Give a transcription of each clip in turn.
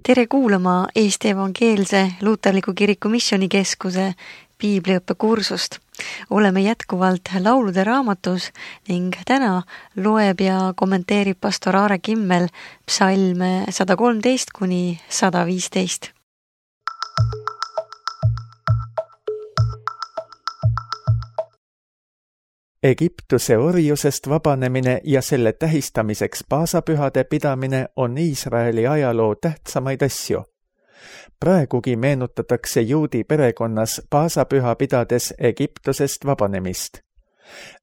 Tere kuulama Eesti Evangeelse Luuterliku Kiriku Missioonikeskuse piibliõppe kursust. Oleme jätkuvalt laulude raamatus ning täna loeb ja kommenteerib pastor Aare Kimmel psalme 113 kuni 115. Egiptuse orjusest vabanemine ja selle tähistamiseks paasapühade pidamine on Iisraeli ajaloo tähtsamaid asju. Praegugi meenutatakse juudi perekonnas paasapüha pidades Egiptusest vabanemist.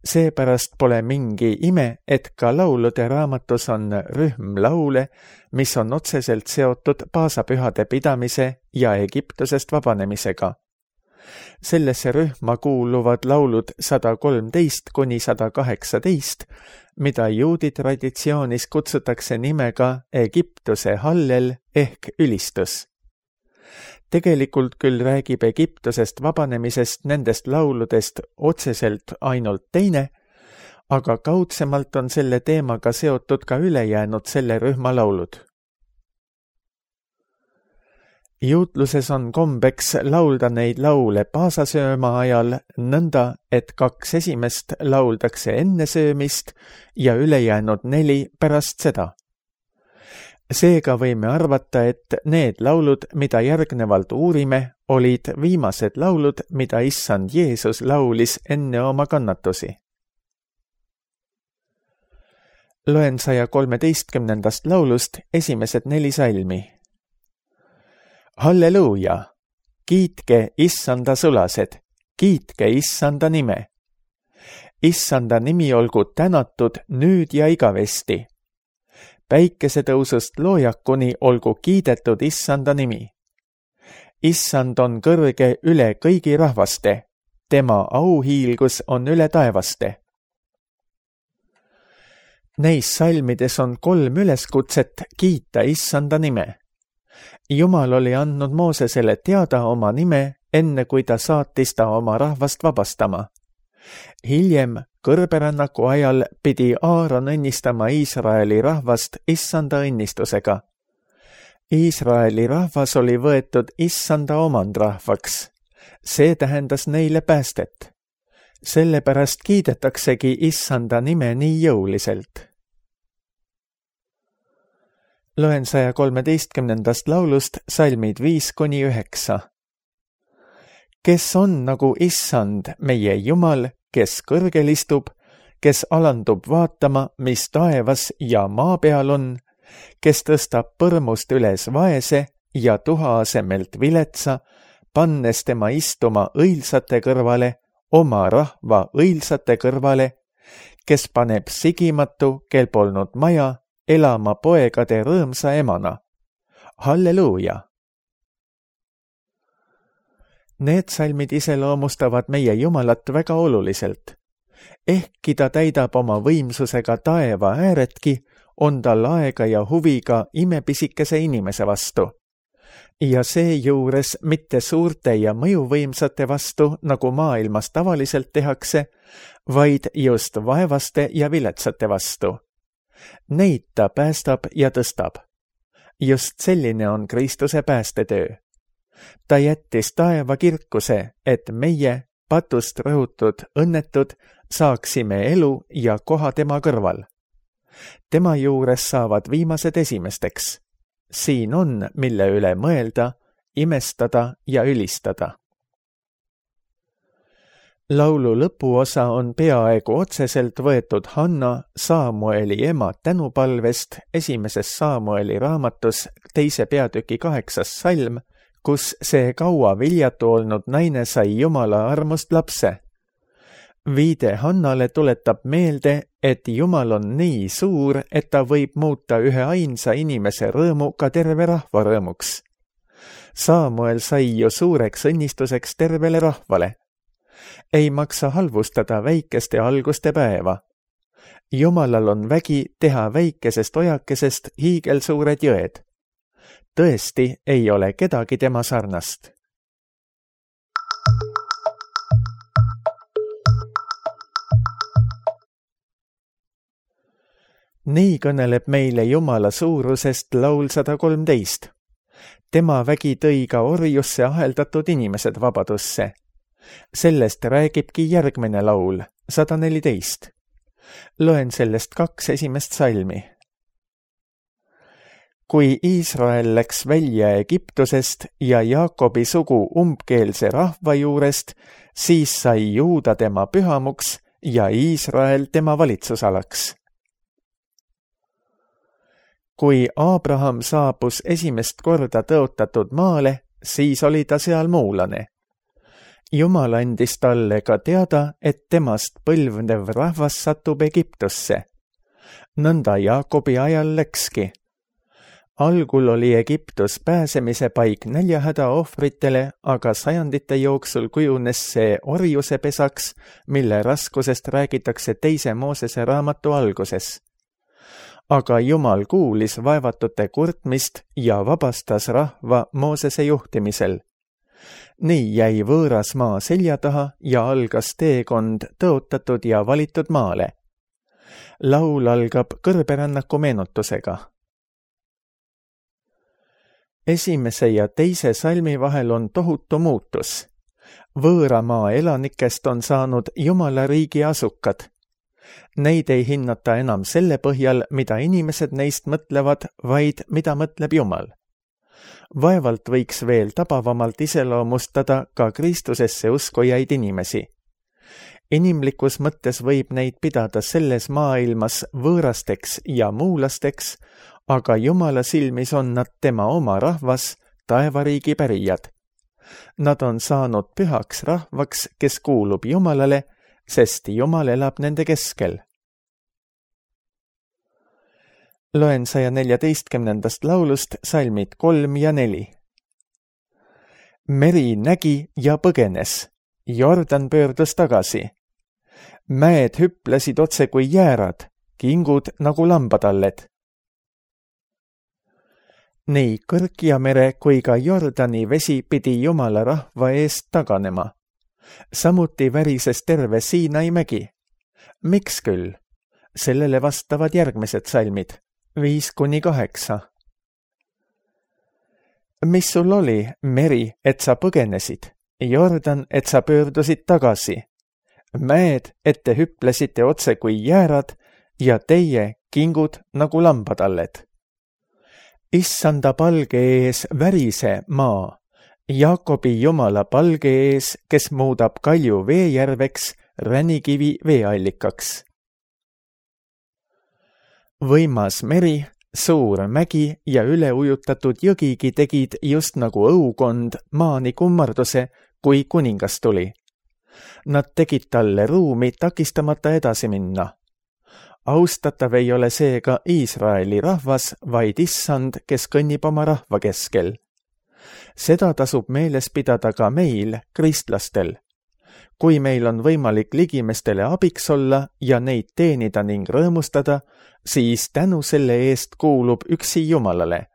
Seepärast pole mingi ime, et ka laulude raamatus on rühm laule, mis on otseselt seotud paasapühade pidamise ja Egiptusest vabanemisega. Sellesse rühma kuuluvad laulud 113 kuni 118, mida juudi traditsioonis kutsutakse nimega Egiptuse hallel ehk ülistus. Tegelikult küll räägib Egiptusest vabanemisest nendest lauludest otseselt ainult teine, aga kaudsemalt on selle teemaga seotud ka ülejäänud selle rühma laulud. Juutluses on kombeks laulda neid laule paasasööma ajal nõnda, et 2 esimest lauldakse enne söömist ja ülejäänud 4 pärast seda. Seega võime arvata, et need laulud, mida järgnevalt uurime, olid viimased laulud, mida issand Jeesus laulis enne oma kannatusi. Loen 113. laulust esimesed 4 salmi. Halleluuja! Kiitke issanda sulased, kiitke issanda nime. Issanda nimi olgu tänatud nüüd ja igavesti. Päikesetõusust loojakuni olgu kiidetud issanda nimi. Issand on kõrge üle kõigi rahvaste, tema auhiilgus on üle taevaste. Neis salmides on 3 üleskutset kiita issanda nime. Jumal oli andnud Moosesele teada oma nime, enne kui ta saatis ta oma rahvast vabastama. Hiljem, kõrberännaku ajal, pidi Aaron õnnistama Iisraeli rahvast issanda õnnistusega. Iisraeli rahvas oli võetud issanda omandrahvaks. See tähendas neile päästet. Sellepärast kiidetaksegi issanda nime nii jõuliselt. Loen 113. laulust salmid 5 kuni 9. Kes on nagu issand, meie Jumal, kes kõrgel istub, kes alandub vaatama, mis taevas ja maa peal on, kes tõstab põrmust üles vaese ja tuha asemelt viletsa, pannes tema istuma õilsate kõrvale, oma rahva õilsate kõrvale, kes paneb sigimatu, kel polnud maja, elama poegade rõõmsa emana. Halleluuja! Need salmid iseloomustavad meie Jumalat väga oluliselt. Ehkki ta täidab oma võimsusega taeva ääretki, on tal aega ja huviga imepisikese inimese vastu. Ja seejuures mitte suurte ja mõjuvõimsate vastu, nagu maailmas tavaliselt tehakse, vaid just vaevaste ja viletsate vastu. Neid ta päästab ja tõstab. Just selline on Kristuse päästetöö. Ta jättis taeva kirkuse, et meie, patust rõhutud õnnetud, saaksime elu ja koha tema kõrval. Tema juures saavad viimased esimesteks. Siin on, mille üle mõelda, imestada ja ülistada. Laulu lõpuosa on peaaegu otseselt võetud Hanna, Saamueli ema tänupalvest 1. Saamueli raamatus 2. peatüki 8. salm, kus see kaua viljatu olnud naine sai Jumala armust lapse. Viide Hannale tuletab meelde, et Jumal on nii suur, et ta võib muuta ühe ainsa inimese rõõmu ka terve rahva rõõmuks. Saamuel sai ju suureks õnnistuseks tervele rahvale. Ei maksa halvustada väikeste alguste päeva. Jumalal on vägi teha väikesest ojakesest hiigelsuured jõed. Tõesti ei ole kedagi tema sarnast. Nii kõneleb meile Jumala suurusest laul 113. tema vägi tõi ka orjusse aheldatud inimesed vabadusse. Sellest räägibki järgmine laul, 114. Loen sellest 2 esimest salmi. Kui Iisrael läks välja Egiptusest ja Jaakobi sugu umbkeelse rahva juurest, siis sai Juuda tema pühamuks ja Iisrael tema valitsusalaks. Kui Abraham saabus esimest korda tõotatud maale, siis oli ta seal muulane. Jumal andis talle ka teada, et temast põlvnev rahvas satub Egiptusse. Nõnda Jaakobi ajal läkski. Algul oli Egiptus pääsemise paik näljahäda ohvritele, aga sajandite jooksul kujunes see orjuse pesaks, mille raskusest räägitakse 2. Moosese raamatu alguses. Aga Jumal kuulis vaevatute kurtmist ja vabastas rahva Moosese juhtimisel. Nii jäi võõras maa selja taha ja algas teekond tõotatud ja valitud maale. Laul algab kõrberännaku meenutusega. Esimese ja 2. salmi vahel on tohutu muutus. Võõra maa elanikest on saanud Jumala riigi asukad. Neid ei hinnata enam selle põhjal, mida inimesed neist mõtlevad, vaid mida mõtleb Jumal. Vaevalt võiks veel tabavamalt iseloomustada ka Kristusesse uskujaid inimesi. Inimlikus mõttes võib neid pidada selles maailmas võõrasteks ja muulasteks, aga Jumala silmis on nad tema oma rahvas, taevariigi pärijad. Nad on saanud pühaks rahvaks, kes kuulub Jumalale, sest Jumal elab nende keskel. Loen 114. laulust salmid 3 ja 4. Meri nägi ja põgenes, Jordan pöördus tagasi. Mäed hüplesid otse kui jäärad, kingud nagu lambatalled. Nii Kõrkja mere kui ka Jordani vesi pidi Jumala rahva eest taganema. Samuti värises terve Siinai mägi. Miks küll? Sellele vastavad järgmised salmid, 5-8. Mis sul oli, meri, et sa põgenesid, Jordan, et sa pöördusid tagasi, mäed, et te hüplesite otse kui jäärad ja teie kingud nagu lambatalled. Issanda palge ees värise maa, Jaakobi Jumala palge ees, kes muudab kalju veejärveks, ränikivi veeallikaks. Võimas meri, suur mägi ja üleujutatud jõgigi tegid just nagu õukond maani kummarduse, kui kuningas tuli. Nad tegid talle ruumi takistamata edasi minna. Austatav ei ole seega Iisraeli rahvas, vaid Issand, kes kõnnib oma rahva keskel. Seda tasub meeles pidada ka meil, kristlastel. Kui meil on võimalik ligimestele abiks olla ja neid teenida ning rõõmustada, siis tänu selle eest kuulub üksi Jumalale.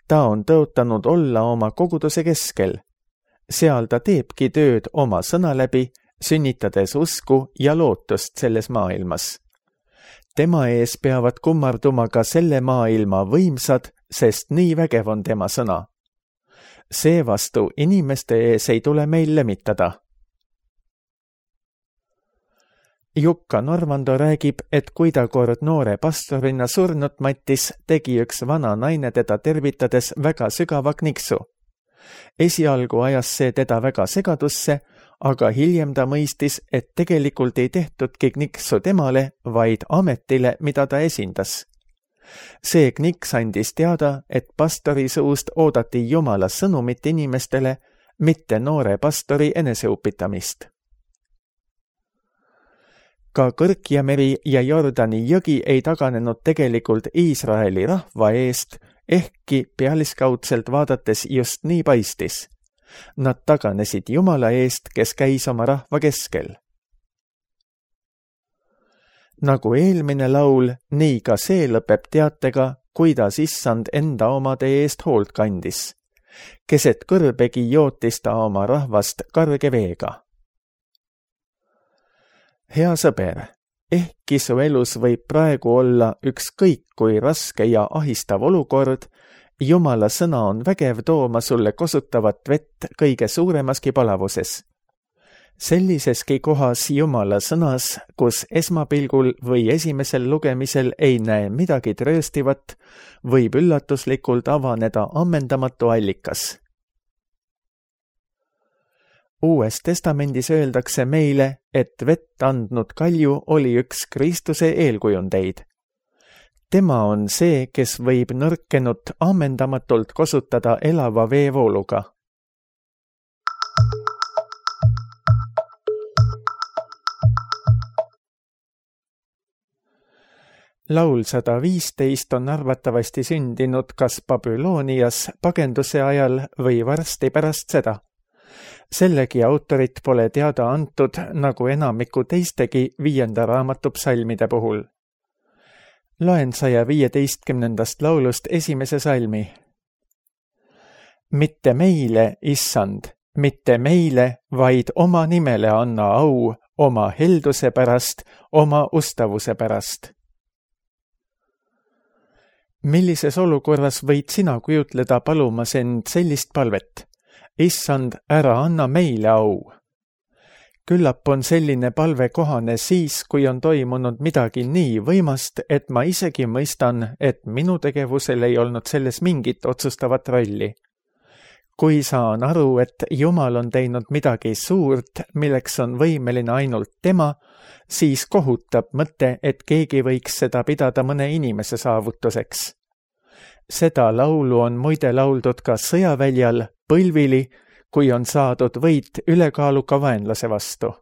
Ta on tõotanud olla oma koguduse keskel. Seal ta teebki tööd oma sõna läbi, sünnitades usku ja lootust selles maailmas. Tema ees peavad kummarduma ka selle maailma võimsad, sest nii vägev on tema sõna. Seevastu inimeste ees ei tule meil lemitada. Jukka Normando räägib, et kui ta kord noore pastorina surnut mattis, tegi üks vana naine teda tervitades väga sügava kniksu. Esialgu ajas see teda väga segadusse, aga hiljem ta mõistis, et tegelikult ei tehtudki kniksu temale, vaid ametile, mida ta esindas. See kniks andis teada, et pastori suust oodati Jumala sõnumit inimestele, mitte noore pastori eneseupitamist. Ka Kõrkja meri ja Jordani jõgi ei taganenud tegelikult Iisraeli rahva eest, ehkki pealiskaudselt vaadates just nii paistis. Nad taganesid Jumala eest, kes käis oma rahva keskel. Nagu eelmine laul, nii ka see lõpeb teatega, kuidas Issand enda omade eest hoolt kandis. Keset kõrbegi jootis ta oma rahvast karge veega. Hea sõber, ehkki su elus võib praegu olla ükskõik kui raske ja ahistav olukord, Jumala sõna on vägev tooma sulle kosutavat vett kõige suuremaski palavuses. Selliseski kohas Jumala sõnas, kus esmapilgul või esimesel lugemisel ei näe midagi trööstivat, võib üllatuslikult avaneda ammendamatu allikas. Uues testamendis öeldakse meile, et vett andnud kalju oli üks Kristuse eelkujundeid. Tema on see, kes võib nõrkenut ammendamatult kosutada elava veevooluga. Laul 115 on arvatavasti sündinud kas Babylonias pagenduse ajal või varsti pärast seda. Sellegi autorit pole teada antud nagu enamiku teistegi 5. raamatu psalmide puhul. Loen 115. laulust esimese salmi. Mitte meile, Issand, mitte meile, vaid oma nimele anna au, oma helduse pärast, oma ustavuse pärast. Millises olukorras võid sina kujutleda palumas end sellist palvet? Issand, ära anna meile au. Küllap on selline palve kohane siis, kui on toimunud midagi nii võimast, et ma isegi mõistan, et minu tegevusel ei olnud selles mingit otsustavat rolli. Kui saan aru, et Jumal on teinud midagi suurt, milleks on võimeline ainult tema, siis kohutab mõte, et keegi võiks seda pidada mõne inimese saavutuseks. Seda laulu on muide lauldud ka sõjaväljal, põlvili, kui on saadud võit ülekaaluka vaenlase vastu.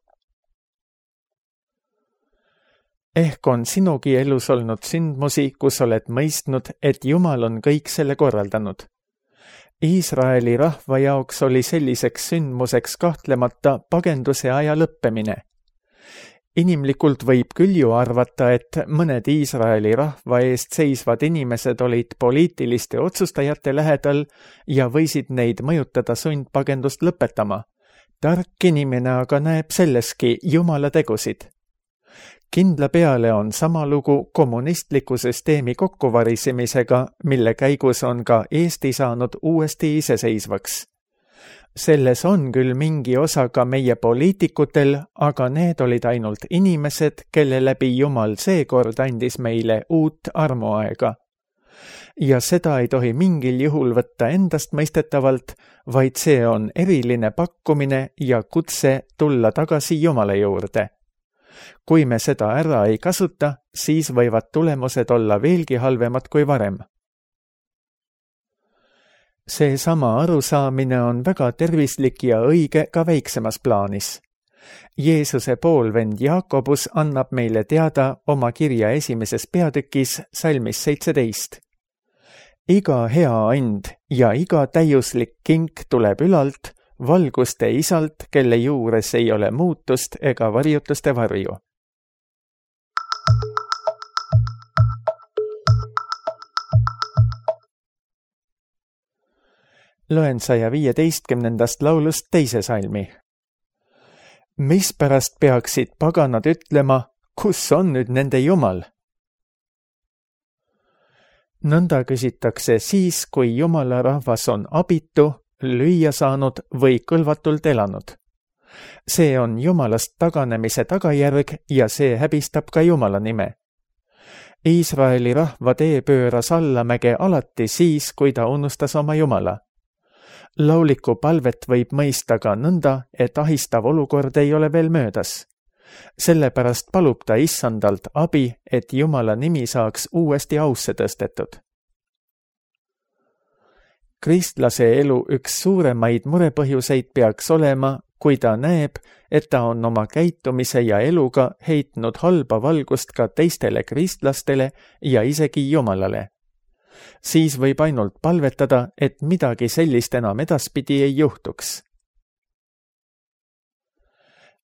Ehk on sinugi elus olnud sündmusi, kus oled mõistnud, et Jumal on kõik selle korraldanud. Iisraeli rahva jaoks oli selliseks sündmuseks kahtlemata pagenduse aja lõppemine. Inimlikult võib küll ju arvata, et mõned Iisraeli rahva eest seisvad inimesed olid poliitiliste otsustajate lähedal ja võisid neid mõjutada sundpagendust lõpetama. Tark inimene aga näeb selleski Jumala tegusid. Kindla peale on sama lugu kommunistliku süsteemi kokkuvarisemisega, mille käigus on ka Eesti saanud uuesti iseseisvaks. Selles on küll mingi osa ka meie poliitikutel, aga need olid ainult inimesed, kelle läbi Jumal seekord andis meile uut armuaega. Ja seda ei tohi mingil juhul võtta endast mõistetavalt, vaid see on eriline pakkumine ja kutse tulla tagasi Jumala juurde. Kui me seda ära ei kasuta, siis võivad tulemused olla veelgi halvemad kui varem. Seesama arusaamine on väga tervislik ja õige ka väiksemas plaanis. Jeesuse poolvend Jaakobus annab meile teada oma kirja esimeses peatükis salmis 17. Iga hea and ja iga täiuslik kink tuleb ülalt, valguste isalt, kelle juures ei ole muutust ega varjutuste varju. Loen 115. laulust teise salmi. Mispärast peaksid paganad ütlema, kus on nüüd nende Jumal? Nõnda küsitakse siis, kui Jumala rahvas on abitu, lüüa saanud või kõlvatult elanud. See on Jumalast taganemise tagajärg ja see häbistab ka Jumala nime. Iisraeli rahva tee pööras allamäge alati siis, kui ta unustas oma Jumala. Lauliku palvet võib mõista ka nõnda, et ahistav olukord ei ole veel möödas. Sellepärast palub ta Issandalt abi, et Jumala nimi saaks uuesti ausse tõstetud. Kristlase elu üks suuremaid murepõhjuseid peaks olema, kui ta näeb, et ta on oma käitumise ja eluga heitnud halba valgust ka teistele kristlastele ja isegi Jumalale. Siis võib ainult palvetada, et midagi sellist enam edaspidi ei juhtuks.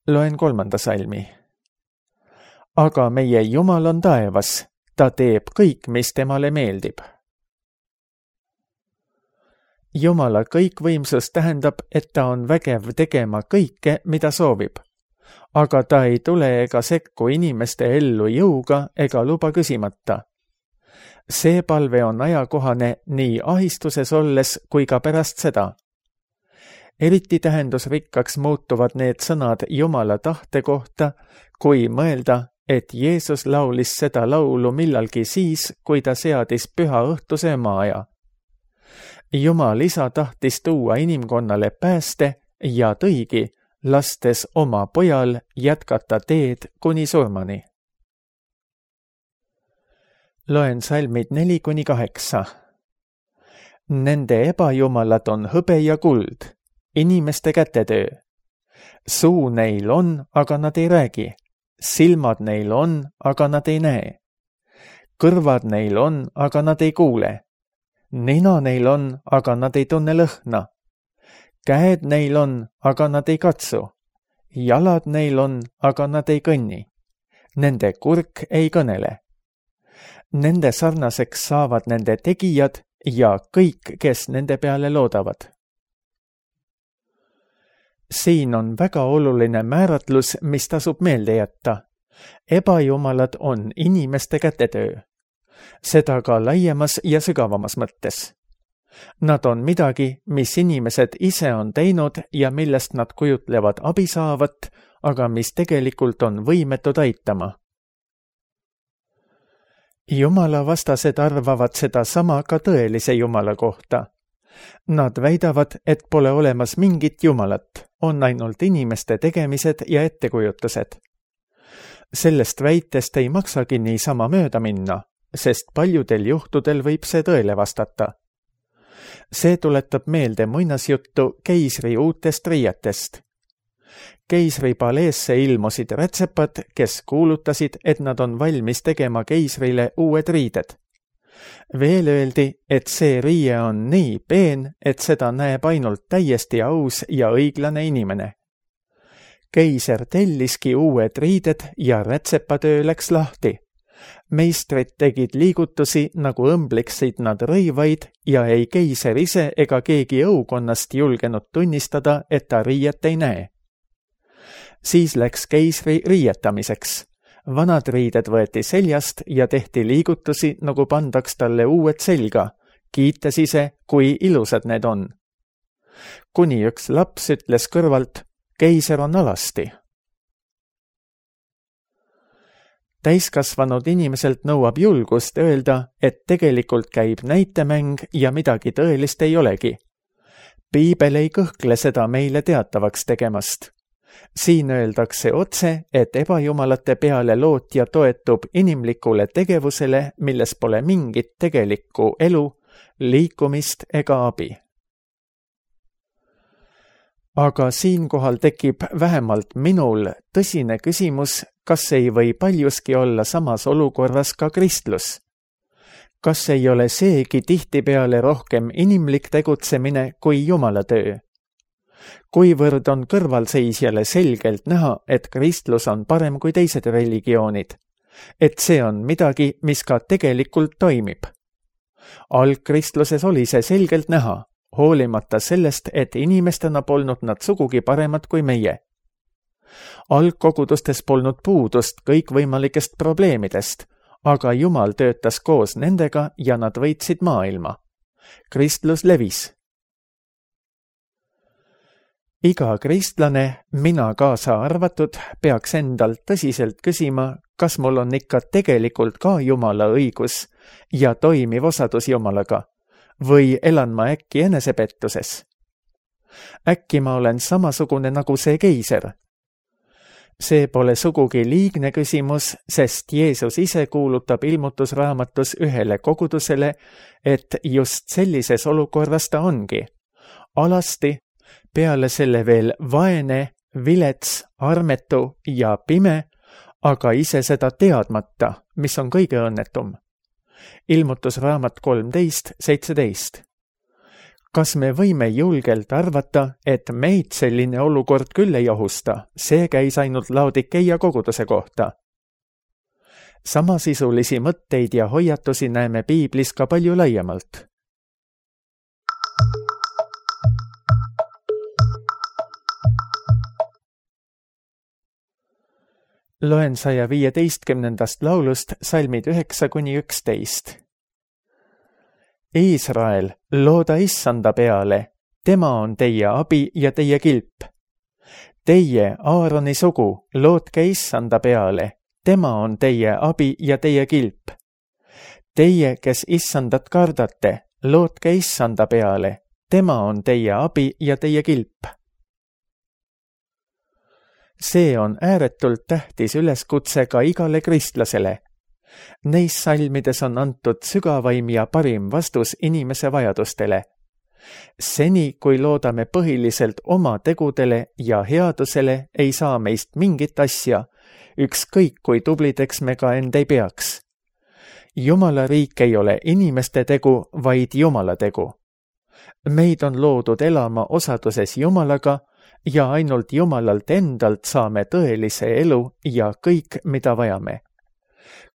Loen 3. salmi. Aga meie Jumal on taevas, ta teeb kõik, mis temale meeldib. Jumala kõikvõimsus tähendab, et ta on vägev tegema kõike, mida soovib. Aga ta ei tule ega sekku inimeste ellu jõuga ega luba küsimata. See palve on ajakohane nii ahistuses olles kui ka pärast seda. Eriti tähendusrikkaks muutuvad need sõnad Jumala tahte kohta, kui mõelda, et Jeesus laulis seda laulu millalgi siis, kui ta seadis püha õhtuse maaja. Jumal isa tahtis tuua inimkonnale pääste ja tõigi, lastes oma pojal jätkata teed kuni surmani. Loen salmid 4-8. Nende ebajumalad on hõbe ja kuld, inimeste kätetöö. Suu neil on, aga nad ei räägi. Silmad neil on, aga nad ei näe. Kõrvad neil on, aga nad ei kuule. Nina neil on, aga nad ei tunne lõhna. Käed neil on, aga nad ei katsu. Jalad neil on, aga nad ei kõnni. Nende kurk ei kõnele. Nende sarnaseks saavad nende tegijad ja kõik, kes nende peale loodavad. Siin on väga oluline määratlus, mis tasub meelde jätta. Ebajumalad on inimeste kätetöö. Seda ka laiemas ja sügavamas mõttes. Nad on midagi, mis inimesed ise on teinud ja millest nad kujutlevad abi saavat, aga mis tegelikult on võimetud aitama. Jumala vastased arvavad seda sama ka tõelise Jumala kohta. Nad väidavad, et pole olemas mingit Jumalat, on ainult inimeste tegemised ja ettekujutused. Sellest väitest ei maksagi niisama mööda minna, sest paljudel juhtudel võib see tõele vastata. See tuletab meelde muinasjuttu keisri uutest riietest. Keisri paleesse ilmusid rätsepad, kes kuulutasid, et nad on valmis tegema keisrile uued riided. Veel öeldi, et see riie on nii peen, et seda näeb ainult täiesti aus ja õiglane inimene. Keiser telliski uued riided ja rätsepatöö läks lahti. Meistrid tegid liigutusi, nagu õmbliksid nad rõivaid ja ei keiser ise ega keegi õukonnast julgenud tunnistada, et ta riiet ei näe. Siis läks keisri riietamiseks. Vanad riided võeti seljast ja tehti liigutusi, nagu pandaks talle uued selga, kiites ise, kui ilusad need on. Kuni üks laps ütles kõrvalt, keiser on alasti. Täiskasvanud inimeselt nõuab julgust öelda, et tegelikult käib näitemäng ja midagi tõelist ei olegi. Piibel ei kõhkle seda meile teatavaks tegemast. Siin öeldakse otse, et ebajumalate peale lootja toetub inimlikule tegevusele, milles pole mingit tegelikku elu, liikumist ega abi. Aga siinkohal tekib vähemalt minul tõsine küsimus, kas ei või paljuski olla samas olukorras ka kristlus. Kas ei ole seegi tihtipeale rohkem inimlik tegutsemine kui Jumala töö? Kuivõrd on kõrvalseisjale selgelt näha, et kristlus on parem kui teised religioonid, et see on midagi, mis ka tegelikult toimib. Algkristluses oli see selgelt näha, hoolimata sellest, et inimestena polnud nad sugugi paremad kui meie. Algkogudustes polnud puudust kõikvõimalikest probleemidest, aga Jumal töötas koos nendega ja nad võitsid maailma. Kristlus levis. Iga kristlane, mina kaasa arvatud, peaks endalt tõsiselt küsima, kas mul on ikka tegelikult ka Jumala õigus ja toimiv osadus Jumalaga, või elan ma äkki enesepettuses? Äkki ma olen samasugune nagu see keiser? See pole sugugi liigne küsimus, sest Jeesus ise kuulutab ilmutusraamatus ühele kogudusele, et just sellises olukorras ta ongi. Alasti, peale selle veel vaene, vilets, armetu ja pime, aga ise seda teadmata, mis on kõige õnnetum. Ilmutusraamat 13:17. Kas me võime julgelt arvata, et meid selline olukord küll ei ohusta, see käis ainult Laodikeia koguduse kohta? Samasisulisi mõtteid ja hoiatusi näeme piiblis ka palju laiemalt. Loen 115. laulust salmid 9-11. Iisrael, looda Issanda peale, tema on teie abi ja teie kilp. Teie, Aaroni sugu, lootke Issanda peale, tema on teie abi ja teie kilp. Teie, kes Issandat kardate, lootke Issanda peale, tema on teie abi ja teie kilp. See on ääretult tähtis üleskutse ka igale kristlasele. Neis salmides on antud sügavaim ja parim vastus inimese vajadustele. Seni, kui loodame põhiliselt oma tegudele ja headusele, ei saa meist mingit asja, ükskõik kui tublideks me ka end ei peaks. Jumala riik ei ole inimeste tegu, vaid Jumala tegu. Meid on loodud elama osaduses Jumalaga ja ainult Jumalalt endalt saame tõelise elu ja kõik, mida vajame.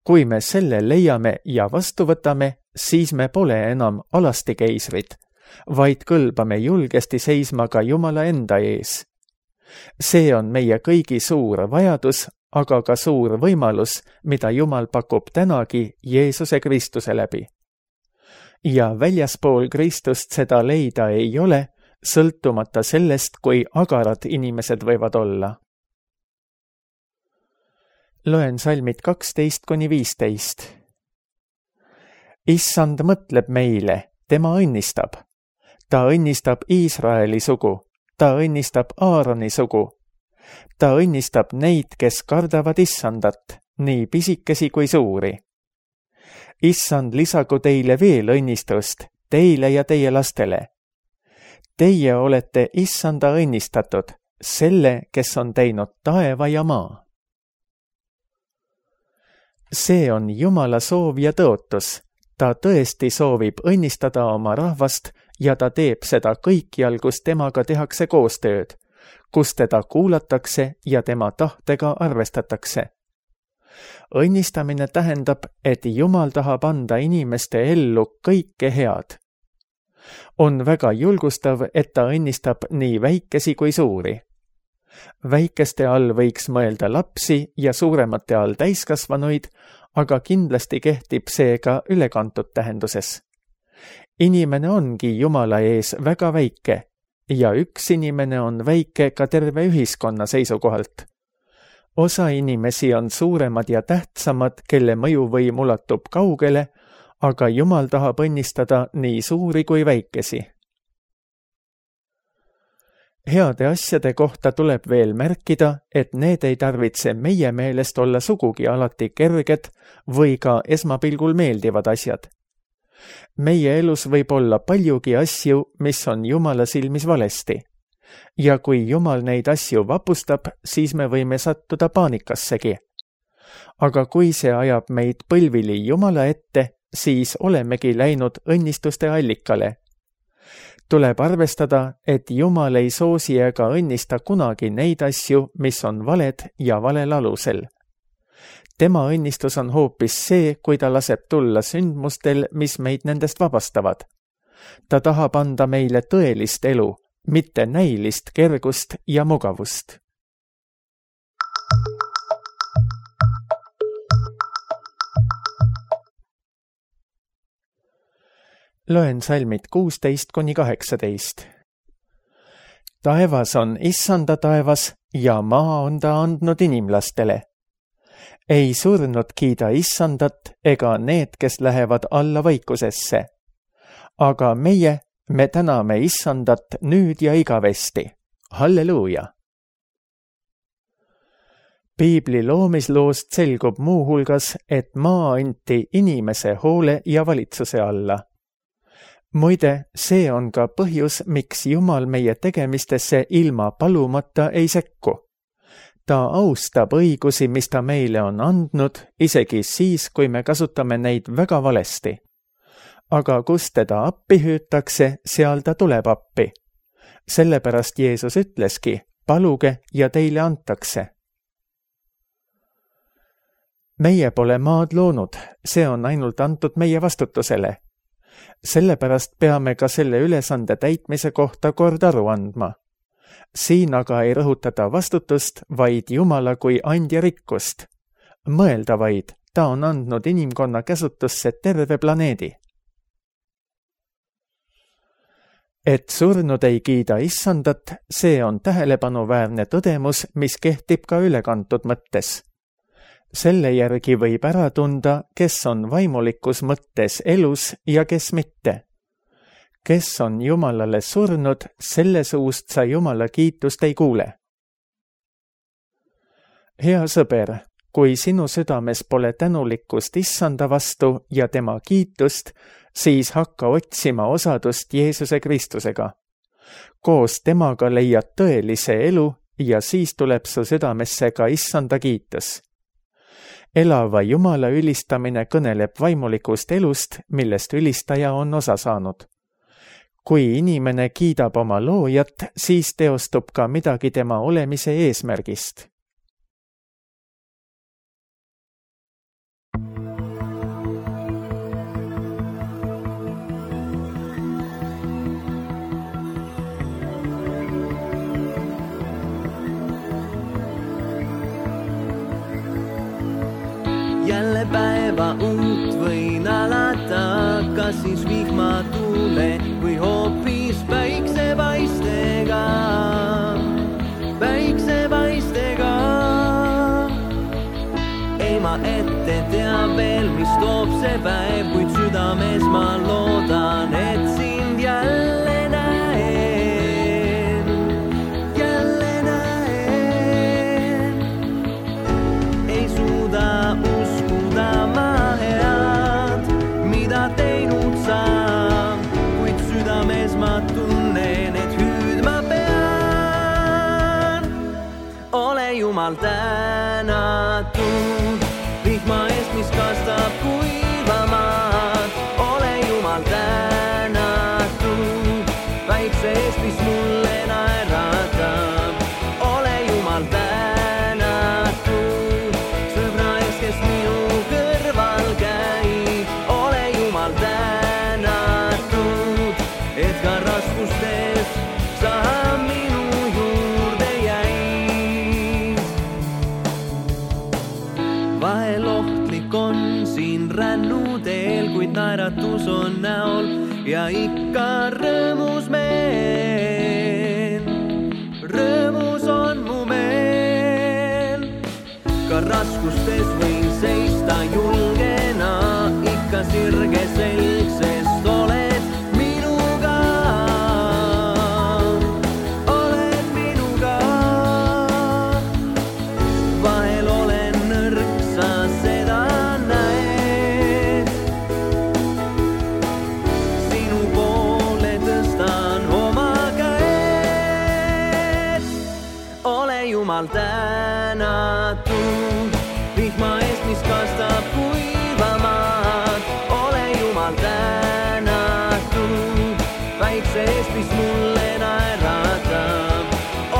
Kui me selle leiame ja vastu võtame, siis me pole enam alasti keisrid, vaid kõlbame julgesti seisma ka Jumala enda ees. See on meie kõigi suur vajadus, aga ka suur võimalus, mida Jumal pakub tänagi Jeesuse Kristuse läbi. Ja väljaspool Kristust seda leida ei ole, sõltumata sellest, kui agarad inimesed võivad olla. Loen salmid 12-15. Issand mõtleb meile, tema õnnistab. Ta õnnistab Iisraeli sugu, ta õnnistab Aaroni sugu. Ta õnnistab neid, kes kardavad Issandat, nii pisikesi kui suuri. Issand lisagu teile veel õnnistust, teile ja teie lastele. Teie olete Issanda õnnistatud, selle, kes on teinud taeva ja maa. See on Jumala soov ja tõotus. Ta tõesti soovib õnnistada oma rahvast ja ta teeb seda kõikjal, kus temaga tehakse koostööd, kus teda kuulatakse ja tema tahtega arvestatakse. Õnnistamine tähendab, et Jumal tahab anda inimeste ellu kõike head. On väga julgustav, et ta õnnistab nii väikesi kui suuri. Väikeste all võiks mõelda lapsi ja suuremate all täiskasvanuid, aga kindlasti kehtib see ka ülekantud tähenduses. Inimene ongi Jumala ees väga väike ja üks inimene on väike ka terve ühiskonna seisukohalt. Osa inimesi on suuremad ja tähtsamad, kelle mõjuvõim ulatub kaugele, aga Jumal tahab õnnistada nii suuri kui väikesi. Heade asjade kohta tuleb veel märkida, et need ei tarvitse meie meelest olla sugugi alati kerged või ka esmapilgul meeldivad asjad. Meie elus võib olla paljugi asju, mis on Jumala silmis valesti. Ja kui Jumal neid asju vapustab, siis me võime sattuda paanikassegi. Aga kui see ajab meid põlvili Jumala ette, siis olemegi läinud õnnistuste allikale. Tuleb arvestada, et Jumal ei soosi ega õnnista kunagi neid asju, mis on valed ja valel alusel. Tema õnnistus on hoopis see, kui ta laseb tulla sündmustel, mis meid nendest vabastavad. Ta tahab anda meile tõelist elu, mitte näilist kergust ja mugavust. Loen salmid 16-18. Taevas on Issanda taevas ja maa on ta andnud inimlastele. Ei surnud kiida Issandat ega need, kes lähevad alla vaikusesse. Aga me täname Issandat nüüd ja igavesti. Halleluuja! Piibli loomisloost selgub muuhulgas, et maa anti inimese hoole ja valitsuse alla. Muide, see on ka põhjus, miks Jumal meie tegemistesse ilma palumata ei sekku. Ta austab õigusi, mis ta meile on andnud, isegi siis, kui me kasutame neid väga valesti. Aga kus teda appi hüütakse, seal ta tuleb appi. Sellepärast Jeesus ütleski, paluge ja teile antakse. Meie pole maad loonud, see on ainult antud meie vastutusele. Sellepärast peame ka selle ülesande täitmise kohta kord aru andma. Siin aga ei rõhutata vastutust, vaid Jumala kui andja rikkust. Mõelda vaid, ta on andnud inimkonna käsutusse terve planeedi. Et surnud ei kiida issandat, see on tähelepanuväärne tõdemus, mis kehtib ka ülekantud mõttes. Selle järgi võib ära tunda, kes on vaimulikus mõttes elus ja kes mitte. Kes on Jumalale surnud, selle suust sa Jumala kiitust ei kuule. Hea sõber, kui sinu südames pole tänulikkust issanda vastu ja tema kiitust, siis hakka otsima osadust Jeesuse Kristusega. Koos temaga leiad tõelise elu ja siis tuleb su südamesse ka issanda kiitus. Elava Jumala ülistamine kõneleb vaimulikust elust, millest ülistaja on osa saanud. Kui inimene kiidab oma loojat, siis teostub ka midagi tema olemise eesmärgist. Jälle päeva uut võin alata, kas siis vihmatule või hoopis päiksepaistega. Ei ma ette tea veel, mis toob see päev, kuid südames ma loodan, et sind jälle näen. Ei suuda uskuda ma head, mida teinud saan, kuid südames ma tunnen, et hüüdma pean. Ole Jumal tänatud, vihma eest, mis kastab kuivamaad. Ole Jumal tänatud, väikse eest, mis mulle naeratab. Ole Jumal tänatud, sõbra eest, kes minu kõrval käib. Ole Jumal tänatud, et ka raskustes sa minu juurde jäid. Vahel ohtlik on siin rännuteel, kuid naeratus on näol ja ikka rõõmus meel. Rõõmus on mu meel. Ka raskustes võin seista julgena, ikka sirge selg, sest oled minuga. Oled minuga. Vahel olen nõrk, sa seda näed. Sinu poole tõstan oma käed. Ole Jumal tänatud, vihma eest, mis kastab kuivamaad. Ole Jumal tänatud, väikse eest, mis mulle naeratab.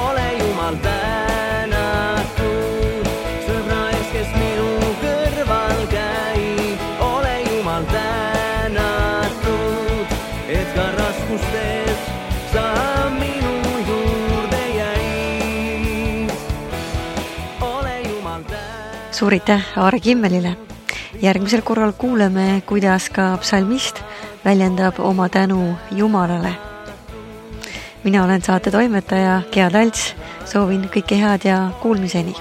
Ole Jumal tänatud, sõbra eest, kes minu kõrval käib. Ole Jumal tänatud, et ka raskustes sa minu juurde jäid. Ole Jumal tänatud. Suur aitäh Aare Kimmelile. Järgmisel korral kuuleme, kuidas ka psalmist väljendab oma tänu Jumalale. Mina olen saate toimetaja Gea Talts, soovin kõike head ja kuulmiseni.